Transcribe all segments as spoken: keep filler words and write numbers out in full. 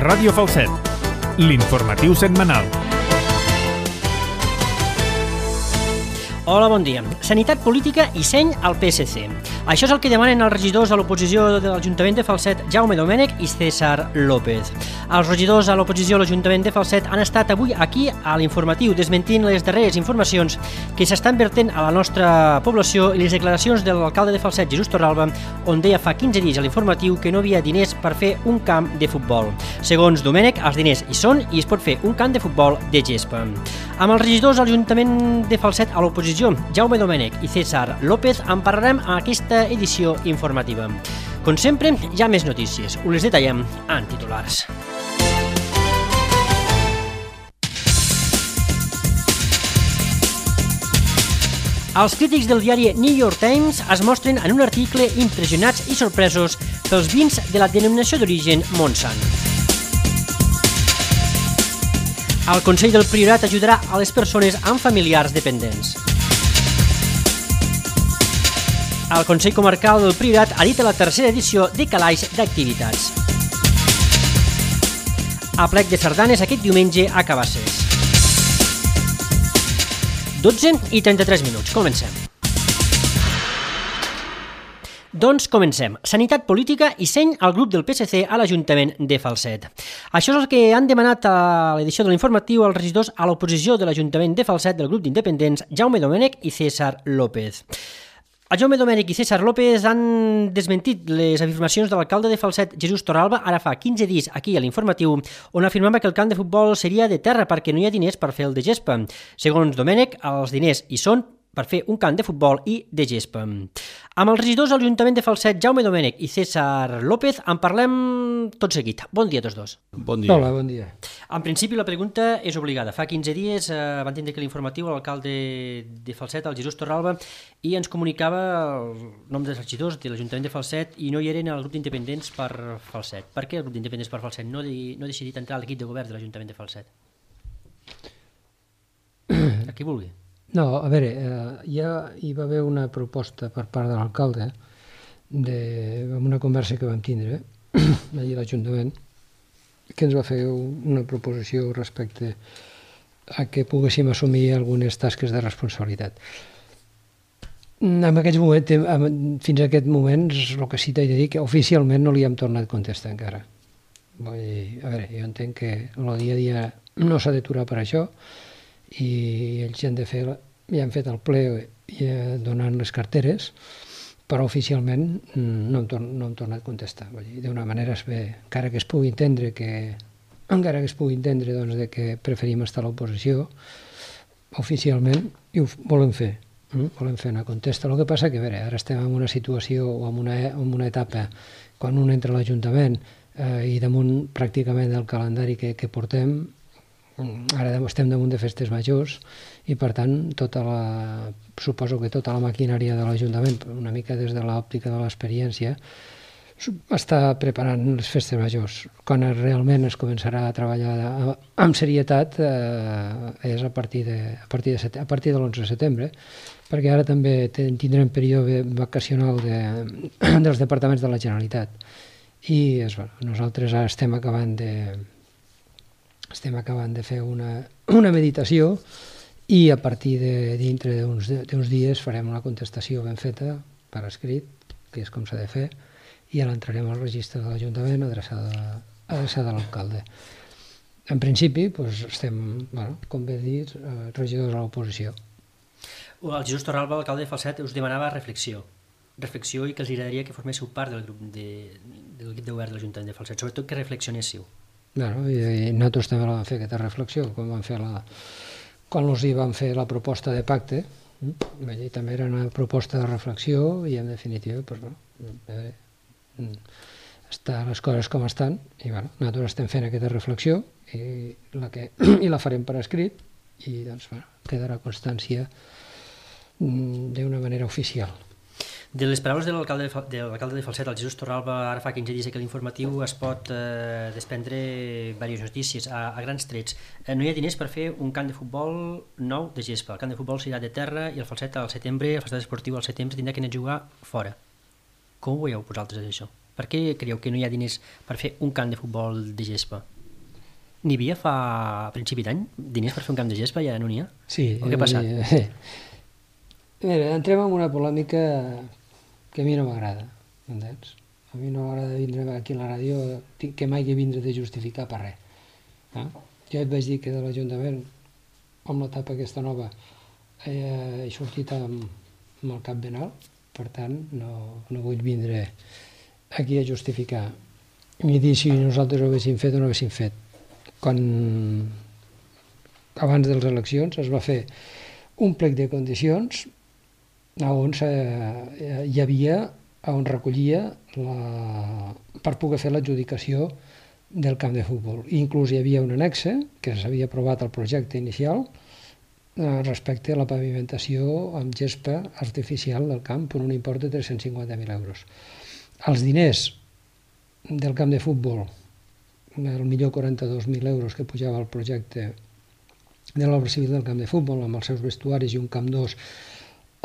Ràdio Falset, l'informatiu setmanal. Hola, bon dia. Sanitat política i seny al P S C. Això és el que demanen els regidors a l'oposició de l'Ajuntament de Falset, Jaume Domènech i César López. Els regidors a l'oposició a l'Ajuntament de Falset han estat avui aquí a l'informatiu desmentint les darreres informacions que s'estan vertent a la nostra població i les declaracions de l'alcalde de Falset, Jesús Torralba, on deia fa quinze dies a l'informatiu que no havia diners per fer un camp de futbol. Segons Domènech, els diners hi són i es pot fer un camp de futbol de gespa. Amb els regidors a l'Ajuntament de Falset a l'oposició, Jaume Domènech i César López, en parlarem en aquesta edició informativa. Com sempre, hi ha més notícies. Us les detallem en titulars. Els crítics del diari New York Times es mostren en un article impressionats i sorpresos pels vins de la denominació d'origen Montsant. El Consell del Priorat ajudarà a les persones amb familiars dependents. El Consell Comarcal del Priorat edita la tercera edició de Calaix d'activitats. Aplec de sardanes aquest diumenge a Cabasses. dotze i trenta-tres minuts. Comencem. Doncs comencem. Sanitat política i seny al grup del P S C a l'Ajuntament de Falset. Això és el que han demanat a l'edició de l'informatiu els regidors a l'oposició de l'Ajuntament de Falset del grup d'independents Jaume Domènech i César López. El Jaume Domènech i César López han desmentit les afirmacions de l'alcalde de Falset, Jesús Torralba, ara fa quinze dies aquí a l'informatiu, on afirmava que el camp de futbol seria de terra perquè no hi ha diners per fer el de gespa. Segons Domènech, els diners hi són per fer un camp de futbol i de gespa. Amb els regidors de l'Ajuntament de Falset, Jaume Domènech i César López, en parlem tot seguit. Bon dia a tots dos. Bon dia. Hola, bon dia. En principi, la pregunta és obligada. Fa quinze dies eh, van tindre que l'informatiu l'alcalde de Falset, el Jesús Torralba, i ens comunicava el nom dels regidors de l'Ajuntament de Falset i no hi eren al grup d'independents per Falset. Per què el grup d'independents per Falset no, no ha decidit entrar a l'equip de govern de l'Ajuntament de Falset? A qui vulgui. No, a veure, eh, ja hi va haver una proposta per part de l'alcalde, de, amb una conversa que vam tindre allà a l'Ajuntament, que ens va fer una proposició respecte a que poguéssim assumir algunes tasques de responsabilitat. En aquest moment, fins a aquest moment, el que sí t'he de dir que oficialment no li hem tornat a contestar encara. Vull dir, a veure, jo entenc que el dia a dia no s'ha d'aturar per això, i ells ja han, de fer, ja han fet el ple ja donant les carteres, però oficialment no hem, torn, no hem tornat a contestar. D'una manera es ve, encara que es pugui entendre que encara que es pugui entendre doncs, de que preferim estar a l'oposició, oficialment i ho volem fer. Mm? Volem fer una contesta. El que passa que a veure, ara estem en una situació o en una, en una etapa quan un entra a l'Ajuntament eh, i damunt pràcticament del calendari que, que portem, ara estem damunt de festes majors i per tant tota la, suposo que tota la maquinària de l'Ajuntament, una mica des de l'òptica de l'experiència, està preparant les festes majors. Quan realment es començarà a treballar amb serietat eh, és a partir de, a partir de, set, a partir de l'onze de setembre, perquè ara també tindrem període vacacional de, dels departaments de la Generalitat. I és, bueno, nosaltres ara estem acabant de estem acabant de fer una, una meditació i a partir de dintre d'uns dies farem una contestació ben feta per escrit, que és com s'ha de fer, i ara entrarem al registre de l'Ajuntament adreçada, adreçada a l'alcalde. En principi, doncs, estem, bueno, com bé dit, regidors a l'oposició. El Jesús Torralba, l'alcalde de Falset, us demanava reflexió. Reflexió i que els agradaria que forméssiu part del grup de, de l'equip de govern de l'Ajuntament de Falset, sobretot que reflexionéssiu. Bueno, i nosaltres també la vam fer aquesta reflexió quan vam fer la, quan els hi vam fer la proposta de pacte, i també era una proposta de reflexió i en definitiva pues, bueno, està les coses com estan i bueno, nosaltres estem fent aquesta reflexió i la, que, i la farem per escrit i doncs, bueno, quedarà constància d'una manera oficial. De les paraules de l'alcalde de Falset, el Jesús Torralba, ara fa quinze dies que l'informatiu es pot eh, desprendre diverses notícies a, a grans trets. Eh, no hi ha diners per fer un camp de futbol nou de gespa. El camp de futbol serà de terra i el Falset al setembre, el Falset esportiu al setembre tindrà que anar a jugar fora. Com ho veieu vosaltres això? Per què creieu que no hi ha diners per fer un camp de futbol de gespa? n'hi havia fa a principi d'any diners per fer un camp de gespa i ara no n'hi ha? Sí. O què ha passat? Eh, mira, entrem en una polèmica que a mi no m'agrada, entens? A mi no m'agrada vindre aquí a la ràdio que mai que vindre de justificar per res. Eh? Jo et vaig dir que de l'Ajuntament, amb l'etapa aquesta nova, eh, he sortit amb, amb el cap ben alt, per tant no, no vull vindre aquí a justificar ni dir si nosaltres ho haguéssim fet o no ho haguéssim fet. Quan abans de les eleccions es va fer un plec de condicions on hi havia, on recollia la, per poder fer l'adjudicació del camp de futbol. Inclús hi havia un annexe que s'havia aprovat el projecte inicial respecte a la pavimentació amb gespa artificial del camp per un import de tres-cents cinquanta mil euros. Els diners del camp de futbol, el millor quaranta-dos mil euros que pujava el projecte de l'obra civil del camp de futbol, amb els seus vestuaris i un camp dos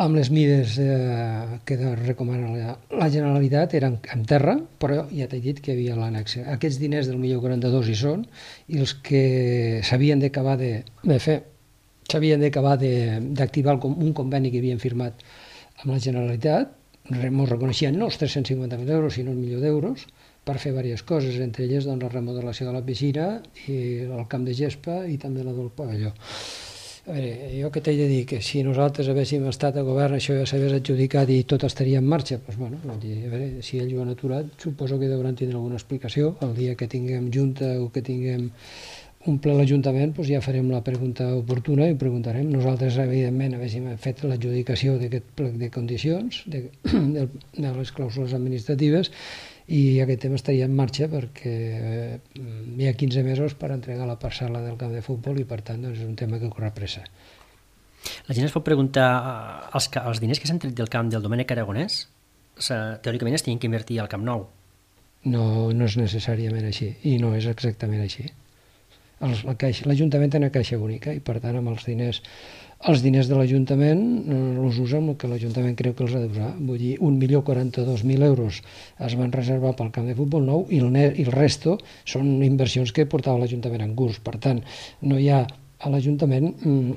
amb les mides eh, que recomana la, la Generalitat, eren en terra, però ja t'he dit que hi havia l'annexe. Aquests diners del millor quaranta-dos hi són, i els que s'havien d'acabar de, de fer, s'havien d'acabar d'activar un conveni que havien firmat amb la Generalitat, ens reconeixien no els tres-cents cinquanta mil euros, sinó un milió d'euros, per fer diverses coses, entre elles doncs, la remodelació de la piscina i el camp de gespa i també la del pavelló. A veure, jo que t'he de dir que si nosaltres haguéssim estat a govern això ja s'hagués adjudicat i tot estaria en marxa, doncs, bueno, a veure, si ells ho han aturat, suposo que devran tindre alguna explicació. El dia que tinguem junta o que tinguem un ple a l'Ajuntament, doncs ja farem la pregunta oportuna i ho preguntarem. Nosaltres, evidentment, haguéssim fet l'adjudicació d'aquest plec de condicions, de, de, de les clàusules administratives, i aquest tema estaria en marxa perquè eh, hi ha quinze mesos per entregar la parcel·la del camp de futbol i per tant doncs, és un tema que corre pressa. La gent es pot preguntar els, els diners que s'han tret del camp del Domènec Aragonès teòricament es tenien que invertir al Camp Nou. No, no és necessàriament així i no és exactament així. L'Ajuntament té una caixa única i per tant amb els diners els diners de l'Ajuntament els usa amb el que l'Ajuntament creu que els ha d'usar. Vull dir, un milió quaranta-dos mil euros es van reservar pel camp de futbol nou i el, i el resto són inversions que portava l'Ajuntament en curs. Per tant, no hi ha a l'Ajuntament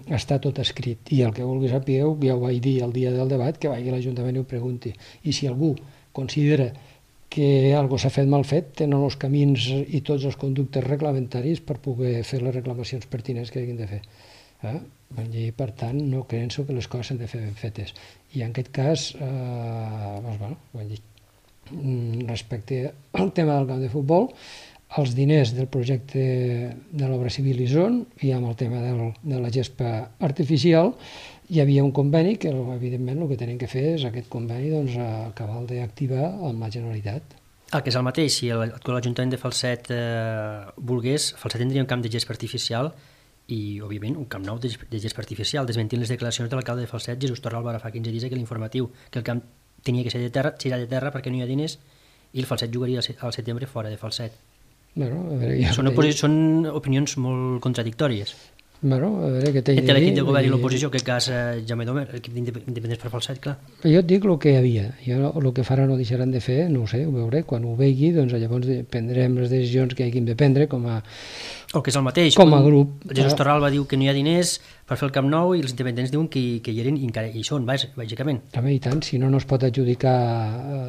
està tot escrit i el que vulgui sapigueu, ja ho vaig dir el dia del debat, que vagi a l'Ajuntament i ho pregunti. I si algú considera que alguna cosa s'ha fet mal fet, tenen els camins i tots els conductes reglamentaris per poder fer les reclamacions pertinents que hagin de fer. Eh? I per tant no penso que les coses s'han de fer ben fetes i en aquest cas eh, doncs, bueno, dir, respecte al tema del camp de futbol els diners del projecte de l'obra civil hi són i amb el tema del, de la gespa artificial hi havia un conveni que evidentment el que tenen que fer és aquest conveni doncs, acabar d'activar amb la Generalitat. El que és el mateix, si l'Ajuntament de Falset eh, volgués, Falset tindria un camp de gespa artificial i, òbviament, un camp nou de gespa artificial, desmentint les declaracions de l'alcalde de Falset, Jesús Torral, ara fa quinze dies que l'informatiu, que el camp tenia que ser de terra, serà de terra perquè no hi ha diners i el Falset jugaria al setembre fora de Falset. Bueno, a veure, ja són, són opinions molt contradictòries. Bueno, a veure, què t'he de dir... Entre l'equip de govern i l'oposició, que cas eh, Jaume Domer, l'equip d'independents per Falset, clar. Jo et dic el que hi havia. Jo el que faran o deixaran de fer, no ho sé, ho veuré. Quan ho vegi, doncs llavors prendrem les decisions que hagin de prendre com a... O que és el mateix. Com a grup. Jesús Torral va dir que no hi ha diners per fer el Camp Nou i els independents diuen que, que hi eren i encara hi són, bàsicament. També, i tant, si no, no es pot adjudicar...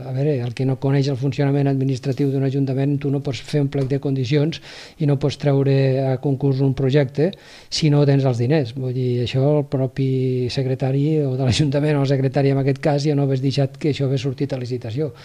A veure, el que no coneix el funcionament administratiu d'un ajuntament, tu no pots fer un plec de condicions i no pots treure a concurs un projecte si no tens els diners. Vull dir, això el propi secretari o de l'Ajuntament o el secretari en aquest cas ja no hagués deixat que això hagués sortit a licitació.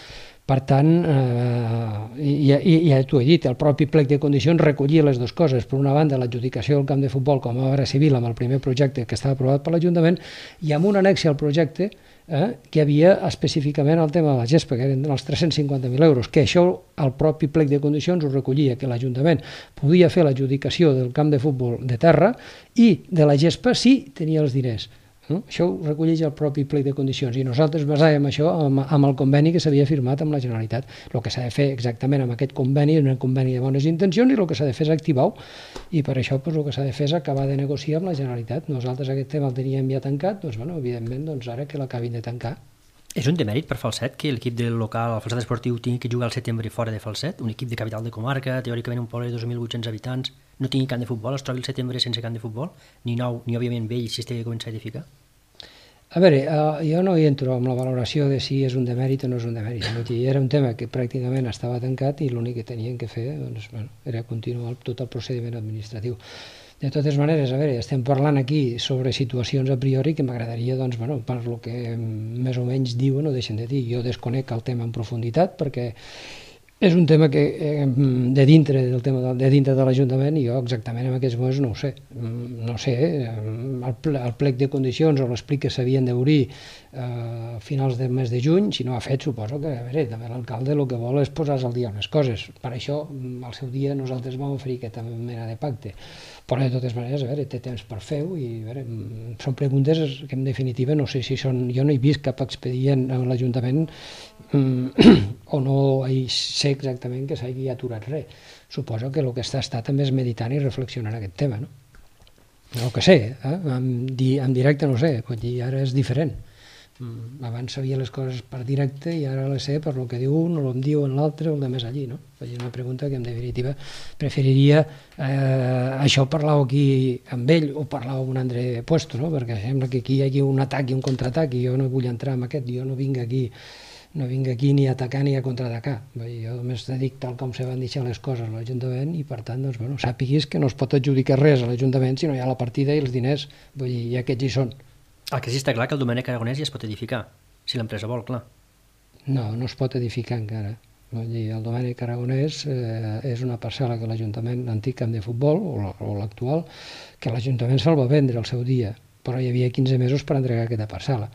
Per tant, eh, ja, ja t'ho he dit, el propi plec de condicions recollia les dues coses. Per una banda, l'adjudicació del camp de futbol com a obra civil amb el primer projecte que estava aprovat per l'Ajuntament i amb un annex al projecte eh, que havia específicament el tema de la gespa, que eren els tres-cents cinquanta mil euros, que això el propi plec de condicions ho recollia, que l'Ajuntament podia fer l'adjudicació del camp de futbol de terra i de la gespa si tenia els diners. No? Això ho recolleix el propi plec de condicions i nosaltres basàvem això amb, amb el conveni que s'havia firmat amb la Generalitat. El que s'ha de fer exactament amb aquest conveni és un conveni de bones intencions i el que s'ha de fer és activar-ho i per això doncs, el que s'ha de fer és acabar de negociar amb la Generalitat. Nosaltres aquest tema el teníem ja tancat, doncs, bueno, evidentment doncs, ara que l'acabin de tancar. És un demèrit per Falset que l'equip del local, el Falset Esportiu, tingui que jugar al setembre fora de Falset, un equip de capital de comarca, teòricament un poble de dos mil vuit-cents habitants, no tingui camp de futbol, es trobi el setembre sense camp de futbol, ni nou, ni òbviament vell, si es té que començar a edificar? A veure, uh, jo no hi entro amb la valoració de si és un demèrit o no és un demèrit. Era un tema que pràcticament estava tancat i l'únic que tenien que fer doncs, bueno, era continuar tot el procediment administratiu. De totes maneres, a veure, estem parlant aquí sobre situacions a priori que m'agradaria, doncs, bueno, per lo que més o menys diuen o deixen de dir. Jo desconec el tema en profunditat perquè és un tema que eh, de dintre del tema de, de dintre de l'Ajuntament i jo exactament en aquests moments no ho sé. No sé, el, ple, el plec de condicions o l'explic que s'havien d'obrir eh, a finals del mes de juny, si no ha fet, suposo que, a veure, també l'alcalde el que vol és posar-se al dia unes coses. Per això, al seu dia, nosaltres vam oferir aquesta mena de pacte. Però de totes maneres, a veure, té temps per fer-ho i a veure, són preguntes que en definitiva no sé si són... Jo no he vist cap expedient a l'Ajuntament o no sé exactament que s'hagi aturat res. Suposo que el que està, està també és meditant i reflexionant aquest tema, no? No que sé, eh? en, di, en directe no sé, vull dir, ara és diferent. Abans sabia les coses per directe i ara les sé per lo que diu un o el diu en l'altre o el de més allí, no? És una pregunta que en definitiva preferiria eh, això parlar-ho aquí amb ell o parlar-ho amb un altre puesto, no? Perquè sembla que aquí hi hagi un atac i un contraatac i jo no vull entrar en aquest, jo no vinc aquí no vinc aquí ni a atacar ni a contraatacar. Jo només dic tal com se van deixar les coses a l'Ajuntament i per tant, doncs, bueno, sàpiguis que no es pot adjudicar res a l'Ajuntament si no hi ha la partida i els diners, vull dir, i aquests hi són. El que sí està clar que el Domènec Aragonès ja es pot edificar, si l'empresa vol, clar. No, no es pot edificar encara. El Domènec Aragonès eh, és una parcel·la que l'Ajuntament, l'antic camp de futbol, o l'actual, que l'Ajuntament se'l va vendre al seu dia, però hi havia quinze mesos per entregar aquesta parcel·la.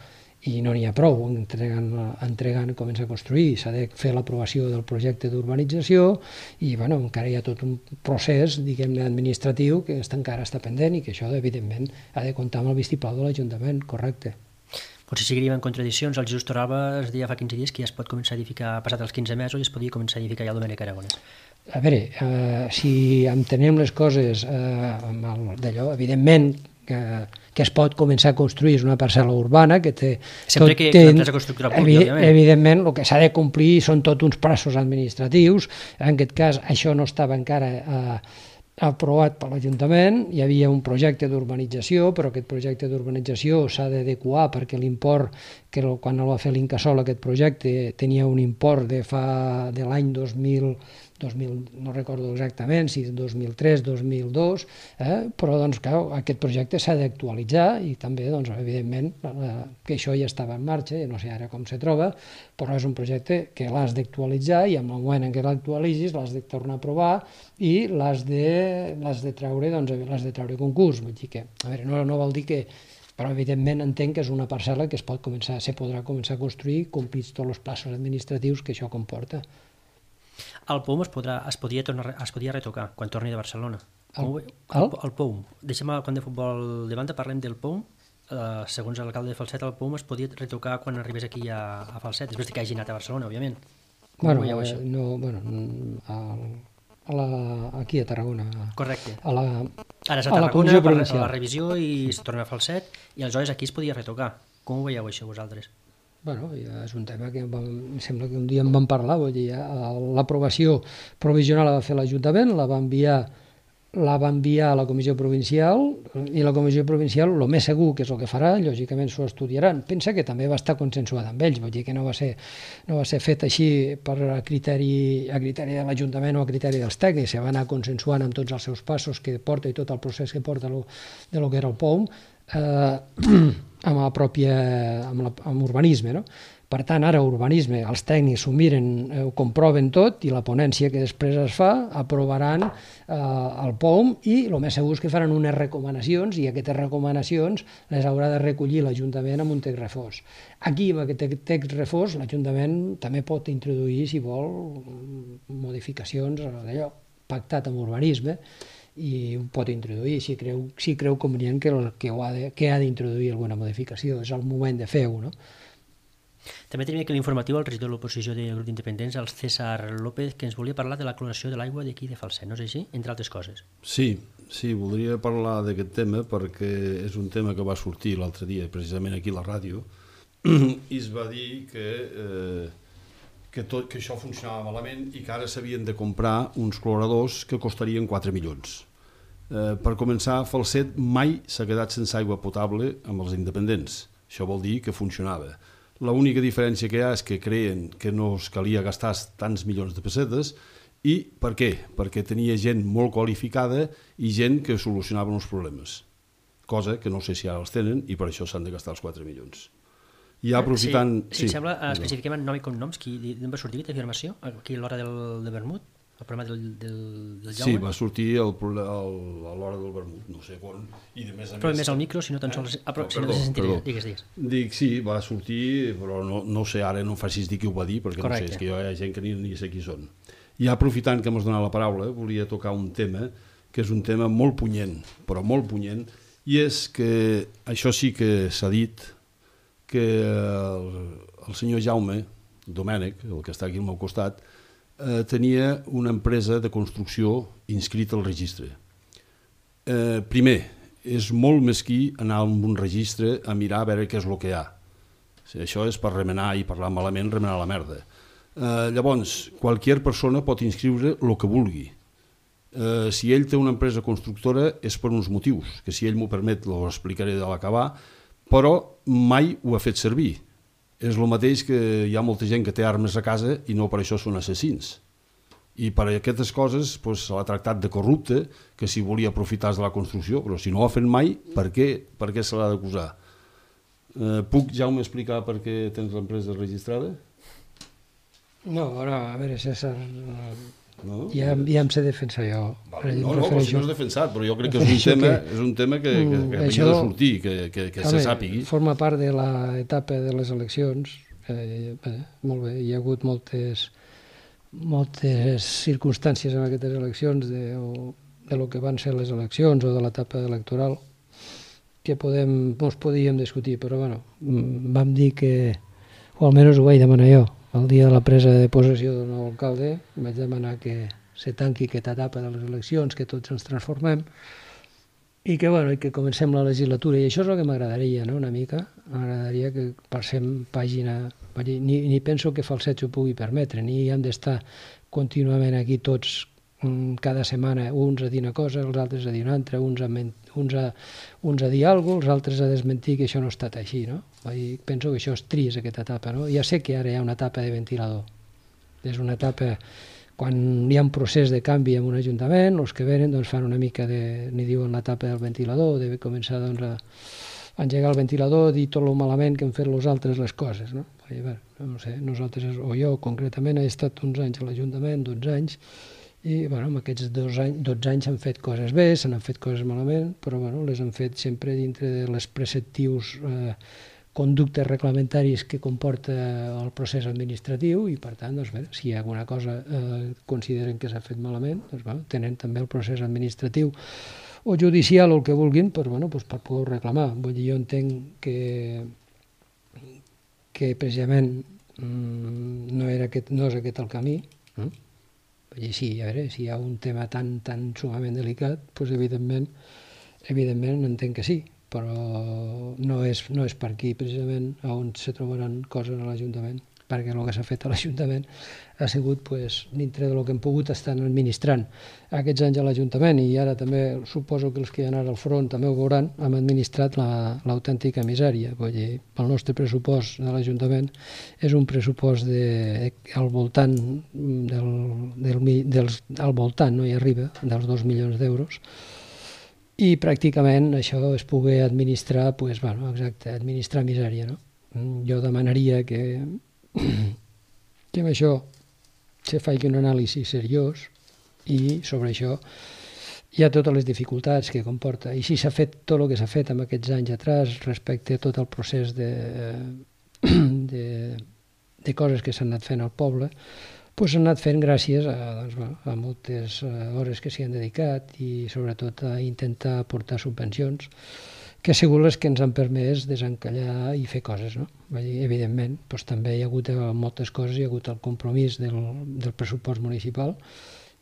I no n'hi ha prou, entregant, entregant comença a construir, s'ha de fer l'aprovació del projecte d'urbanització i bueno, encara hi ha tot un procés, diguem-ne, administratiu que encara està pendent i que això, evidentment, ha de comptar amb el vistiplau de l'Ajuntament, correcte. Potser seguiríem en contradiccions. El Jesús Torralba es deia fa quinze dies que ja es pot començar a edificar, passat els quinze mesos, i es podia començar a edificar ja el Domènec Aragonès. A veure, eh, si entenem les coses eh, d'allò, evidentment, que, que es pot començar a construir, és una parcel·la urbana que té... Sempre que, que l'empresa constructora pugui, òbviament. Evidentment, el que s'ha de complir són tots uns passos administratius. En aquest cas, això no estava encara eh, aprovat per l'Ajuntament, hi havia un projecte d'urbanització, però aquest projecte d'urbanització s'ha d'adequar perquè l'import, que quan el va fer l'Incasòl aquest projecte, tenia un import de fa de l'any dos mil, dos mil, no recordo exactament si dos mil tres, dos mil dos, eh? Però doncs, clar, aquest projecte s'ha d'actualitzar i també, doncs, evidentment, que això ja estava en marxa, no sé ara com se troba, però és un projecte que l'has d'actualitzar i en el moment en què l'actualitzis l'has de tornar a aprovar i l'has de, l'has de treure, doncs, l'has de treure concurs. Vull dir que, a veure, no, no vol dir que... Però, evidentment, entenc que és una parcel·la que es pot començar, se podrà començar a construir complits tots els passos administratius que això comporta. El P O M es, podrà, es, podia tornar, es podia retocar quan torni de Barcelona. El, el, el, el P O M. Deixem el camp de futbol de banda, parlem del P O M. Uh, segons l'alcalde de Falset, el P O M es podia retocar quan arribés aquí a, a Falset, després que hagi anat a Barcelona, òbviament. Com bueno, veieu això? No, bueno, a, a la, aquí a Tarragona. Correcte. A la, Ara és a a la Tarragona, comissió per provincial. la revisió i es torna a Falset, i aleshores aquí es podia retocar. Com ho veieu això vosaltres? Bueno, ja és un tema que vam, em sembla que un dia en vam parlar, vull dir, l'aprovació provisional la va fer l'Ajuntament, la va enviar la va enviar a la comissió provincial i la comissió provincial, el més segur que és el que farà, lògicament s'ho estudiaran. Pensa que també va estar consensuat amb ells, vull dir que no va ser, no va ser fet així per a criteri, a criteri de l'Ajuntament o a criteri dels tècnics, se va anar consensuant amb tots els seus passos que porta i tot el procés que porta lo, de lo que era el P O M, eh, amb la pròpia, amb, la, amb urbanisme, no? Per tant, ara urbanisme, els tècnics s'ho miren, eh, ho comproven tot i la ponència que després es fa aprovaran eh, el P O M i el més segur és que faran unes recomanacions i aquestes recomanacions les haurà de recollir l'Ajuntament amb un text refós. Aquí, amb aquest text refós, l'Ajuntament també pot introduir, si vol, modificacions d'allò pactat amb urbanisme i ho pot introduir si creu, si creu convenient que, que, ho ha de, que ha d'introduir alguna modificació. És el moment de fer-ho, no? També tenim aquí l'informatiu el regidor de l'oposició del grup d'independents, el César López, que ens volia parlar de la cloració de l'aigua d'aquí de Falset, no és així? Entre altres coses. Sí, sí, voldria parlar d'aquest tema perquè és un tema que va sortir l'altre dia, precisament aquí a la ràdio, i es va dir que, eh, que, tot, que això funcionava malament i que ara s'havien de comprar uns cloradors que costarien quatre milions. Eh, per començar, Falset mai s'ha quedat sense aigua potable amb els independents. Això vol dir que funcionava. L'única diferència que hi ha és que creien que no es calia gastar tants milions de pessetes. I per què? Perquè tenia gent molt qualificada i gent que solucionava els problemes. Cosa que no sé si ara els tenen i per això s'han de gastar els quatre milions. I aprofitant... Si, si sí, et sembla, no. especifiquem en nom i cognoms, qui d'on va sortir aquesta afirmació? Aquí a l'hora del, de vermut? El problema del, del, del Jaume? Sí, va sortir el, el, a l'hora del vermut, no sé quan, i de més a però més... més al micro, si no tan sols... Ah, però, no, si perdó, no se sentiria, perdó. digues, digues. Dic, sí, va sortir, però no, no sé, ara no facis dir qui ho va dir, perquè Correcte. No sé, és que hi ha gent que ni, ni sé qui són. I aprofitant que m'has donat la paraula, volia tocar un tema, que és un tema molt punyent, però molt punyent, i és que això sí que s'ha dit, que el, el senyor Jaume Domènech, el que està aquí al meu costat, eh, tenia una empresa de construcció inscrita al registre. Eh, primer, és molt mesquí anar a un registre a mirar a veure què és el que hi ha. O sigui, això és per remenar i parlar malament, remenar la merda. Eh, llavors, qualsevol persona pot inscriure el que vulgui. Eh, si ell té una empresa constructora és per uns motius, que si ell m'ho permet ho explicaré de l'acabar, però mai ho ha fet servir. És el mateix que hi ha molta gent que té armes a casa i no per això són assassins. I per aquestes coses doncs, se l'ha tractat de corrupte, que si volia aprofitar de la construcció, però si no ho ha fet mai, per què, per què se l'ha d'acusar? Eh, puc, Jaume, explicar per què tens l'empresa registrada? No, no, a veure, César, No? ja, ja em sé defensar jo. Vale, no, no, però si no és defensat, però jo crec que és un tema, és un tema que, que, que havia de sortir, que, que, que se sàpigui. Forma part de l'etapa de les eleccions. Eh, bé, molt bé, hi ha hagut moltes, moltes circumstàncies en aquestes eleccions de, o, de lo que van ser les eleccions o de l'etapa electoral que podem, ens podíem discutir, però bueno, vam dir que, o almenys ho vaig demanar jo, el dia de la presa de possessió del nou alcalde, vaig demanar que se tanqui aquesta etapa de les eleccions, que tots ens transformem, i que, bueno, i que comencem la legislatura. I això és el que m'agradaria, no?, una mica. M'agradaria que passem pàgina... Ni, ni penso que Falset s'ho pugui permetre, ni hem d'estar contínuament aquí tots cada setmana, uns a dir una cosa, els altres a dir una altra, uns a, uns a, uns a dir alguna cosa, els altres a desmentir que això no ha estat així, no? I penso que això és trist, aquesta etapa, no? Ja sé que ara hi ha una etapa de ventilador. És una etapa, quan hi ha un procés de canvi en un ajuntament, els que venen doncs, fan una mica de, n'hi diuen l'etapa del ventilador, de començar doncs, a engegar el ventilador, dir tot el malament que han fet els altres les coses, no? I, bé, no sé, nosaltres, o jo concretament, he estat uns anys a l'Ajuntament, dotze anys, i bueno, en aquests dos anys, dotze anys s'han fet coses bé, se n'han fet coses malament, però bueno, les han fet sempre dintre de les preceptius eh, conductes reglamentaris que comporta el procés administratiu i per tant, doncs, bé, si hi ha alguna cosa eh, consideren que s'ha fet malament, doncs, bueno, tenen també el procés administratiu o judicial o el que vulguin per, bueno, doncs, per poder reclamar. Vull dir, jo entenc que, que precisament mmm, no, era aquest, no és aquest el camí, no? I sí, a veure, si hi ha un tema tan, tan sumament delicat, doncs evidentment, evidentment entenc que sí, però no és, no és per aquí precisament on se trobaran coses a l'Ajuntament, perquè el que s'ha fet a l'Ajuntament ha sigut pues, dintre del que hem pogut estar administrant aquests anys a l'Ajuntament, i ara també suposo que els que hi ha ara al front també ho veuran, hem administrat l'autèntica la, misèria. Vull dir, el nostre pressupost de l'Ajuntament és un pressupost de, al voltant del, del, dels, al voltant, no hi arriba, dels dos milions d'euros, i pràcticament això es pugui administrar, pues, bueno, exacte, administrar misèria, no? Jo demanaria que que amb això se faci un anàlisi seriós i sobre això hi ha totes les dificultats que comporta. I si s'ha fet tot el que s'ha fet en aquests anys atrás respecte a tot el procés de, de, de coses que s'han anat fent al poble, doncs s'han anat fent gràcies a, doncs, bueno, a moltes hores que s'hi han dedicat i sobretot a intentar aportar subvencions que ha sigut les que ens han permès desencallar i fer coses, no? Evidentment, doncs, també hi ha hagut moltes coses, hi ha hagut el compromís del, del pressupost municipal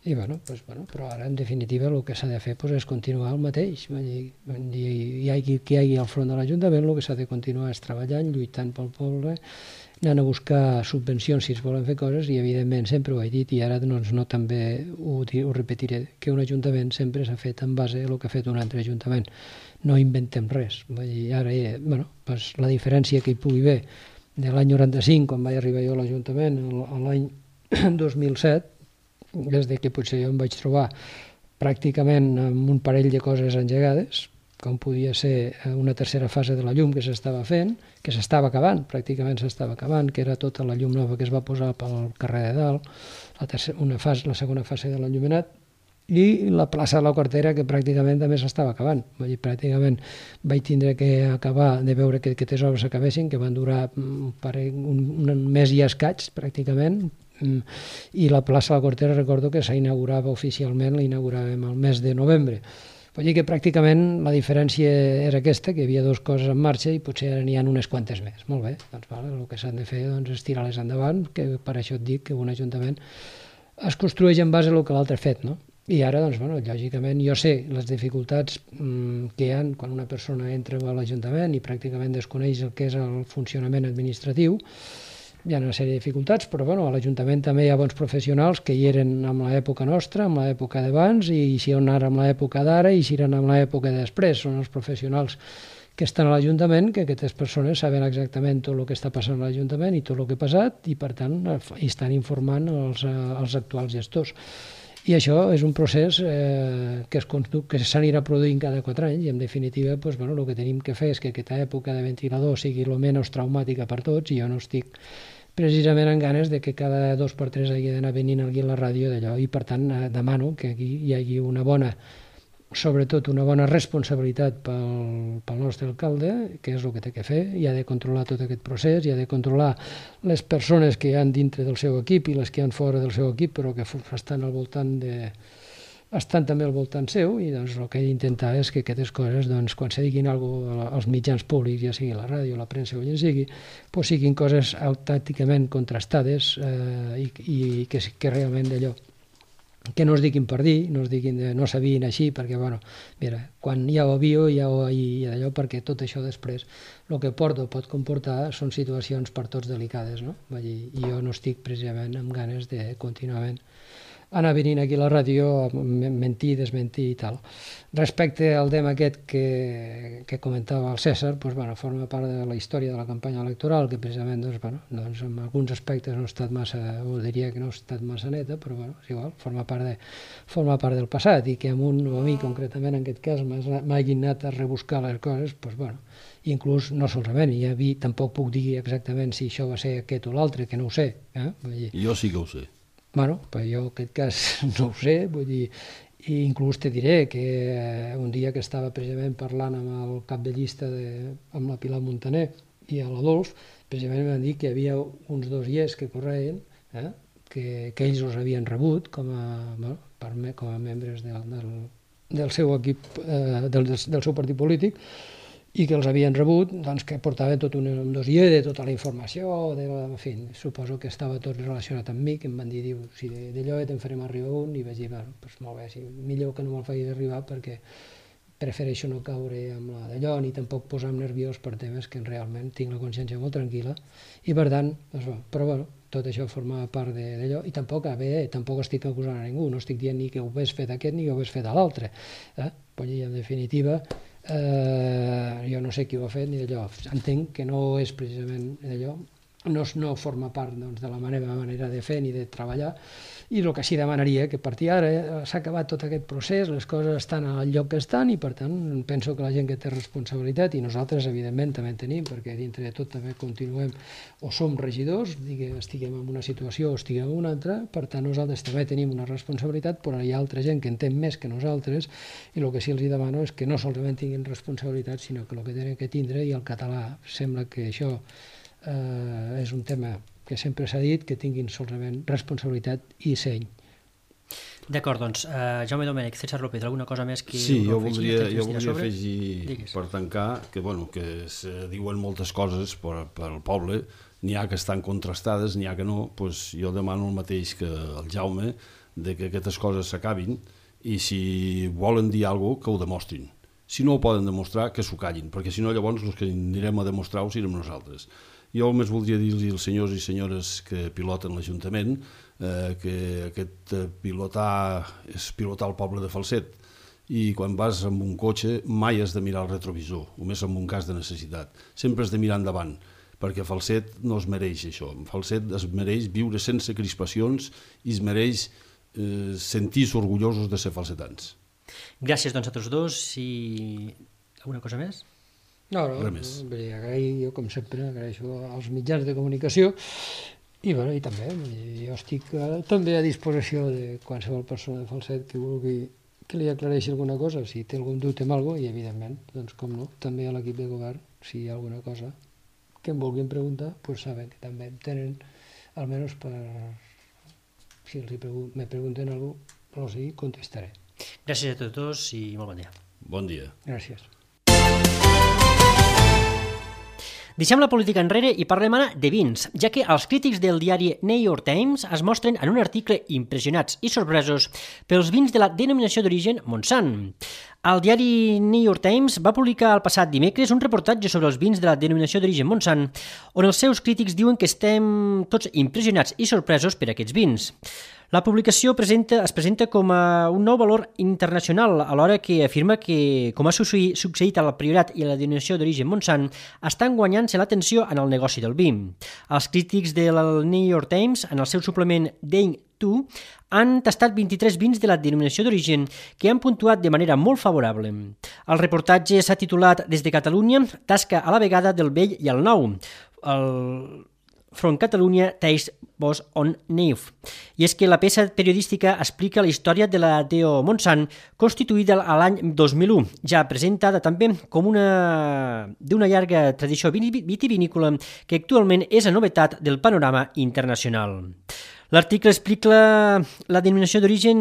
I, bueno, pues, bueno, però ara, en definitiva, el que s'ha de fer pues, és continuar el mateix. I, i, hi hagi qui hi hagi al front de l'Ajuntament, el que s'ha de continuar és treballant, lluitant pel poble, anant a buscar subvencions si es volen fer coses, i, evidentment, sempre ho he dit, i ara doncs, no també ho, ho repetiré, que un Ajuntament sempre s'ha fet en base a el que ha fet un altre Ajuntament. No inventem res. Vull dir, ara, eh, bueno, pues, la diferència que hi pugui haver de l'any noranta-cinc, quan vaig arribar jo a l'Ajuntament, l'any dos mil set, des de que potser jo em vaig trobar pràcticament amb un parell de coses engegades, com podia ser una tercera fase de la llum que s'estava fent, que s'estava acabant, pràcticament s'estava acabant, que era tota la llum nova que es va posar pel carrer de dalt, la, tercera, una fase, la segona fase de l'enllumenat, i la plaça de la Quartera, que pràcticament també s'estava acabant. Vull dir, pràcticament vaig tindre que acabar de veure que aquestes obres s'acabessin, que van durar un, un, un mes i escaig, pràcticament, i la plaça de la Quartera recordo que s'inaugurava oficialment, la inauguràvem el mes de novembre. Vull dir que pràcticament la diferència era aquesta, que hi havia dues coses en marxa i potser ara n'hi ha unes quantes més. Molt bé, doncs vale, el que s'han de fer doncs, és tirar-les endavant, que per això et dic que un ajuntament es construeix en base a el que l'altre ha fet, no? I ara, doncs, bueno, lògicament, jo sé les dificultats mmm, que hi ha quan una persona entra a l'Ajuntament i pràcticament desconeix el que és el funcionament administratiu. Hi ha una sèrie de dificultats, però bueno, a l'Ajuntament també hi ha bons professionals que hi eren en l'època nostra, en l'època d'abans, i si on ara en l'època d'ara, i si eren en l'època de després. Són els professionals que estan a l'Ajuntament, que aquestes persones saben exactament tot el que està passant a l'Ajuntament i tot el que ha passat, i per tant hi estan informant els, els actuals gestors. I això és un procés eh, que, es que s'anirà produint cada quatre anys, i en definitiva doncs, bueno, el que tenim que fer és que aquesta època de ventilador sigui el menys traumàtica per tots, i jo no estic precisament en ganes de que cada dos per tres hagi d'anar venint aquí a la ràdio d'allò, i per tant eh, demano que aquí hi hagi una bona, sobretot una bona responsabilitat pel, pel nostre alcalde, que és el que té que fer, i ha de controlar tot aquest procés, i ha de controlar les persones que hi ha dintre del seu equip i les que hi ha fora del seu equip, però que estan al voltant de... estan també al voltant seu, i doncs el que he d'intentar és que aquestes coses, doncs, quan se diguin alguna cosa als mitjans públics, ja sigui la ràdio, la premsa o ja sigui, doncs siguin coses autènticament contrastades eh, i, i que, que realment d'allò, que no es diguin per dir, no es diguin de, no sabien així, perquè, bueno, mira, quan ja ho havia, ja ho hi d'allò, perquè tot això després, el que porta o pot comportar són situacions per tots delicades, no? Vull dir, i jo no estic precisament amb ganes de contínuament anar venint aquí a la ràdio a mentir, desmentir i tal. Respecte al tema aquest que, que comentava el César, doncs, bueno, forma part de la història de la campanya electoral, que precisament doncs, bueno, doncs, en alguns aspectes no ha estat massa, o diria que no ha estat massa neta, però bueno, és igual, forma part, de, forma part del passat, i que amb un o a mi concretament en aquest cas m'hagin anat a rebuscar les coses, doncs bueno, inclús no solament, i a mi tampoc puc dir exactament si això va ser aquest o l'altre, que no ho sé. Eh? Vull dir, jo sí que ho sé. Bueno, però jo en aquest cas no ho sé, vull dir, i inclús te diré que un dia que estava precisament parlant amb el cap de llista de, amb la Pilar Montaner i l'Adolf, precisament em van dir que hi havia uns dossiers que correien, eh, que, que ells els havien rebut com a, bueno, per me, com a membres del, del, del seu equip, eh, del, del seu partit polític, i que els havien rebut, doncs, que portaven tot un, un dossier de tota la informació, de, en fi, suposo que estava tot relacionat amb mi, que em van dir, diu, si d'allò te'n farem arribar un, i vaig dir, bueno, doncs molt bé, sí, millor que no me'l facis arribar, perquè prefereixo no caure amb la d'allò, ni tampoc posar-me nerviós per temes que realment tinc la consciència molt tranquil·la, i per tant, doncs, bueno, però bueno, tot això forma part d'allò, i tampoc, bé, tampoc estic acusant a ningú, no estic dient ni que ho hagués fet aquest ni que ho hagués fet a l'altre, eh? Vull dir, en definitiva, eh, jo no sé qui ho ha fet ni d'allò, entenc que no és precisament d'allò, no, no forma part doncs, de la meva manera de fer ni de treballar, i el que sí demanaria que a partir d'ara s'ha acabat tot aquest procés, les coses estan al lloc que estan, i per tant penso que la gent que té responsabilitat, i nosaltres evidentment també en tenim, perquè dintre de tot també continuem o som regidors, diguem, estiguem en una situació o estiguem en una altra, per tant nosaltres també tenim una responsabilitat, però hi ha altra gent que entén més que nosaltres, i el que sí els demano és que no solament tinguin responsabilitat, sinó que el que tenen que tindre, i el català sembla que això eh, és un tema que sempre s'ha dit, que tinguin solament responsabilitat i seny. D'acord, doncs, uh, Jaume Domènech, César López, alguna cosa més que... Sí, jo voldria, jo voldria sobre? afegir, Digues. Per tancar, que, bueno, que se diuen moltes coses per, per al poble, n'hi ha que estan contrastades, n'hi ha que no, doncs jo demano el mateix que el Jaume, de que aquestes coses s'acabin i si volen dir alguna cosa, que ho demostrin. Si no ho poden demostrar, que s'ho callin, perquè si no llavors els que anirem a demostrar-ho serem nosaltres. Jo només voldria dir-los als senyors i senyores que piloten l'Ajuntament eh, que aquest pilotar és pilotar el poble de Falset, i quan vas amb un cotxe mai has de mirar el retrovisor, només en un cas de necessitat. Sempre has de mirar endavant, perquè Falset no es mereix això. Falset es mereix viure sense crispacions i es mereix eh, sentir-se orgullosos de ser falsetans. Gràcies doncs a tots dos. I alguna cosa més? No, no, no agrair, jo com sempre agraeixo als mitjans de comunicació i, bueno, i també jo estic eh, també a disposició de qualsevol persona de Falset que vulgui que li aclareixi alguna cosa, si té algun dubte en alguna cosa, i evidentment, doncs com no, també a l'equip de govern, si hi ha alguna cosa que em vulguin preguntar, doncs saben que també em tenen, almenys per si els pregun me pregunten alguna cosa, no sé, contestaré. Gràcies a tots dos i molt bon dia. Bon dia. Gràcies. Deixem la política enrere i parlem ara de vins, ja que els crítics del diari New York Times es mostren en un article impressionats i sorpresos pels vins de la denominació d'origen Montsant. El diari New York Times va publicar el passat dimecres un reportatge sobre els vins de la denominació d'origen Montsant, on els seus crítics diuen que estem tots impressionats i sorpresos per aquests vins. La publicació presenta, es presenta com a un nou valor internacional, alhora que afirma que, com ha succeït al Priorat i a la denominació d'origen Montsant, estan guanyant-se l'atenció en el negoci del vi. Els crítics del New York Times, en el seu suplement Day dos, han tastat vint-i-tres vins de la denominació d'origen que han puntuat de manera molt favorable. El reportatge s'ha titulat Des de Catalunya, tasca a la vegada del vell i el nou. El From Catalunya Taste was on New. I és que la peça periodística explica la història de la D O Montsant, constituïda a l'any dos mil u, ja presentada també com una d'una llarga tradició vitivinícola que actualment és la novetat del panorama internacional. L'article explica la, la denominació d'origen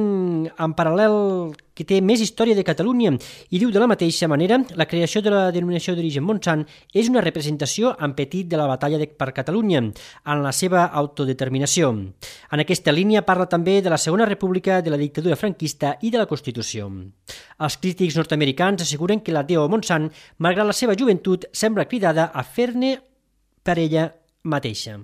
en paral·lel que té més història de Catalunya i diu de la mateixa manera la creació de la denominació d'origen Montsant és una representació en petit de la batalla de, per Catalunya en la seva autodeterminació. En aquesta línia parla també de la Segona República, de la dictadura franquista i de la Constitució. Els crítics nord-americans asseguren que la D O Montsant, malgrat la seva joventut, sembla cridada a fer-ne per ella mateixa.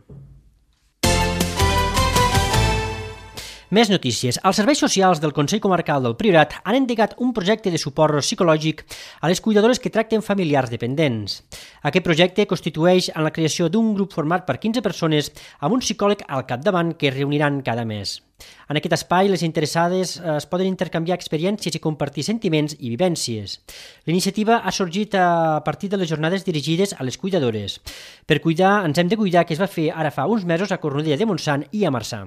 Més notícies. Els serveis socials del Consell Comarcal del Priorat han endegat un projecte de suport psicològic a les cuidadores que tracten familiars dependents. Aquest projecte constitueix en la creació d'un grup format per quinze persones amb un psicòleg al capdavant que es reuniran cada mes. En aquest espai, les interessades es poden intercanviar experiències i compartir sentiments i vivències. L'iniciativa ha sorgit a partir de les jornades dirigides a les cuidadores. Per cuidar, ens hem de cuidar, que es va fer ara fa uns mesos a Cornudella de Montsant i a Marçà.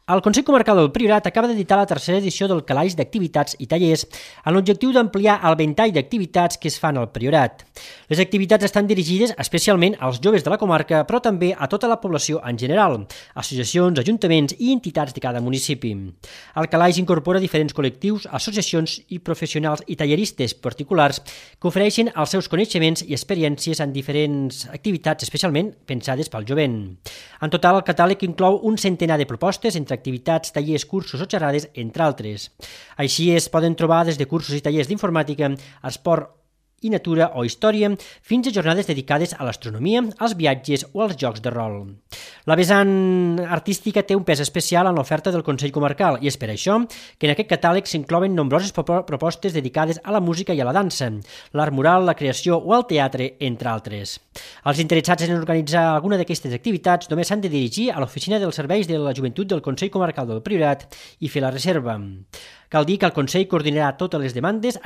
El Consell Comarcal del Priorat acaba d'editar la tercera edició del calaix d'activitats i tallers amb l'objectiu d'ampliar el ventall d'activitats que es fan al Priorat. Les activitats estan dirigides especialment als joves de la comarca, però també a tota la població en general, associacions, ajuntaments i entitats de cada municipi. El calaix incorpora diferents col·lectius, associacions i professionals i talleristes particulars que ofereixen els seus coneixements i experiències en diferents activitats especialment pensades pel jovent. En total, el catàleg inclou un centenar de propostes entre activitats, tallers, cursos o xerrades, entre altres. Així es poden trobar des de cursos i tallers d'informàtica, esport i natura o història, fins a jornades dedicades a l'astronomia, als viatges o als jocs de rol. La vessant artística té un pes especial en l'oferta del Consell Comarcal i és per això que en aquest catàleg s'inclouen nombroses propostes dedicades a la música i a la dansa, l'art mural, la creació o el teatre, entre altres. Els interessats en organitzar alguna d'aquestes activitats només s'han de dirigir a l'oficina dels serveis de la joventut del Consell Comarcal del Priorat i fer la reserva. Cal dir que el Consell coordinarà totes les demandes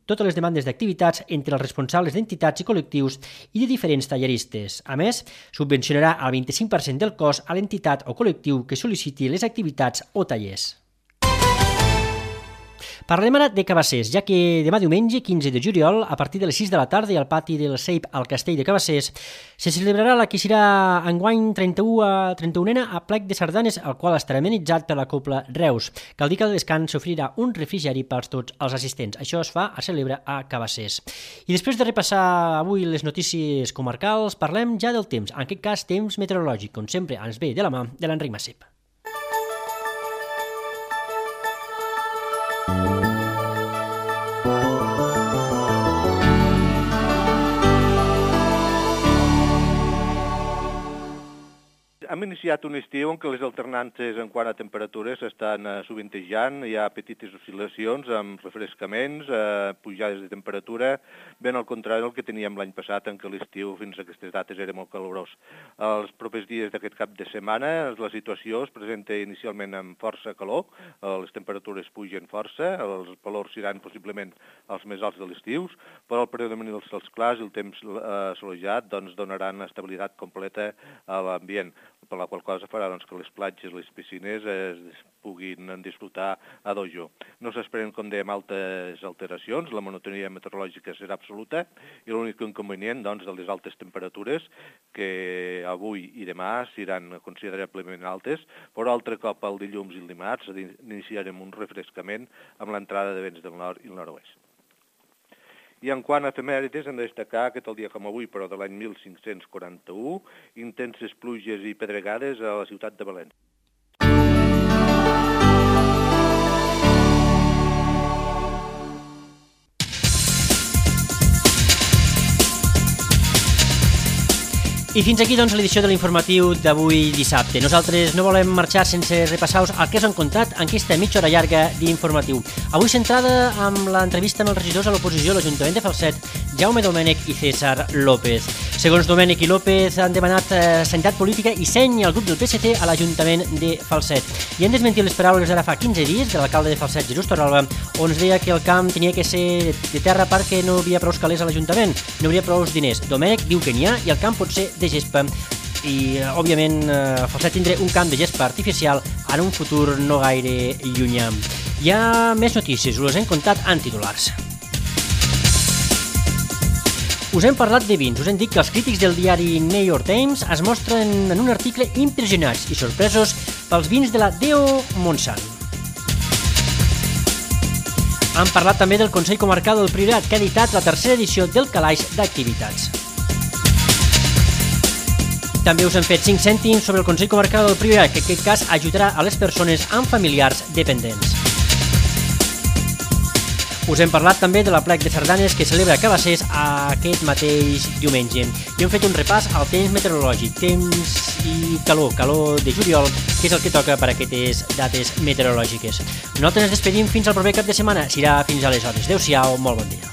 totes les demandes d'activitats entre els responsables d'entitats i col·lectius i de diferents talleristes. A més, subvencionarà el vint-i-cinc per cent del cost a l'entitat o col·lectiu que sol·liciti les activitats o tallers. Parlem ara de Cabassers, ja que demà diumenge, quinze de juliol, a partir de les sis de la tarda i al pati del Seip al Castell de Cabassers, se celebrarà la que serà enguany trenta-u a trenta-unena a plec de sardanes, el qual estarà amenitzat per la Cobla Reus. Cal dir que al descans s'oferirà un refrigeri pels tots els assistents. Això es fa a celebra a Cabassers. I després de repassar avui les notícies comarcals, parlem ja del temps, en aquest cas temps meteorològic, com sempre ens ve de la mà de l'Enric Massip. Hem iniciat un estiu en què les alternances en quant a temperatures estan eh, sovintejant, hi ha petites oscil·lacions amb refrescaments, eh, pujades de temperatura, ben al contrari del que teníem l'any passat, en què l'estiu fins a aquestes dates era molt calorós. Els propers dies d'aquest cap de setmana la situació es presenta inicialment amb força calor, eh, les temperatures pugen força, els valors seran possiblement els més alts de l'estiu, però el predomini dels cels clars i el temps eh, assolejat doncs, donaran estabilitat completa a l'ambient, per la qual cosa farà doncs, que les platges, les piscines es puguin disfrutar a dojo. No s'esperen, com dèiem, altes alteracions, la monotonia meteorològica serà absoluta i l'únic inconvenient doncs, de les altes temperatures, que avui i demà seran considerablement altes, però altre cop el dilluns i el dimarts iniciarem un refrescament amb l'entrada de vents del nord i el nord-oest. I en quant a efemèrides, hem de destacar que tal dia com avui, però de l'any mil cinc-cents quaranta-u, intenses pluges i pedregades a la ciutat de València. I fins aquí doncs l'edició de l'informatiu d'avui dissabte. Nosaltres no volem marxar sense repassar-vos el que us hem contat en aquesta mitja hora llarga d'informatiu. Avui centrada amb l'entrevista amb els regidors a l'oposició a l'Ajuntament de Falset, Jaume Domènech i César López. Segons Domènech i López han demanat eh, sanitat política i seny al grup del P S C a l'Ajuntament de Falset. I han desmentit les paraules d'ara fa quinze dies de l'alcalde de Falset, Jesús Torralba, on es deia que el camp tenia que ser de terra perquè no hi havia prou calés a l'Ajuntament, no hi havia prou diners. Domènech diu que n'hi ha i el camp pot ser de gespa i, òbviament, eh, Falset tindrà un camp de gespa artificial en un futur no gaire llunyà. Hi ha més notícies, us les hem contat en titulars. Us hem parlat de vins, us hem dit que els crítics del diari New York Times es mostren en un article impressionats i sorpresos pels vins de la D O Montsant. Hem parlat també del Consell Comarcal del Priorat, que ha editat la tercera edició del calaix d'activitats. També us hem fet cinc cèntims sobre el Consell Comarcal del Priorat, que en aquest cas ajudarà a les persones amb familiars dependents. Us hem parlat també de la plec de sardanes que celebra Cabassers aquest mateix diumenge. I hem fet un repàs al temps meteorològic, temps i calor, calor de juliol, que és el que toca per a aquestes dates meteorològiques. Nosaltres ens despedim fins al proper cap de setmana, serà fins aleshores. Adéu-siau, molt bon dia.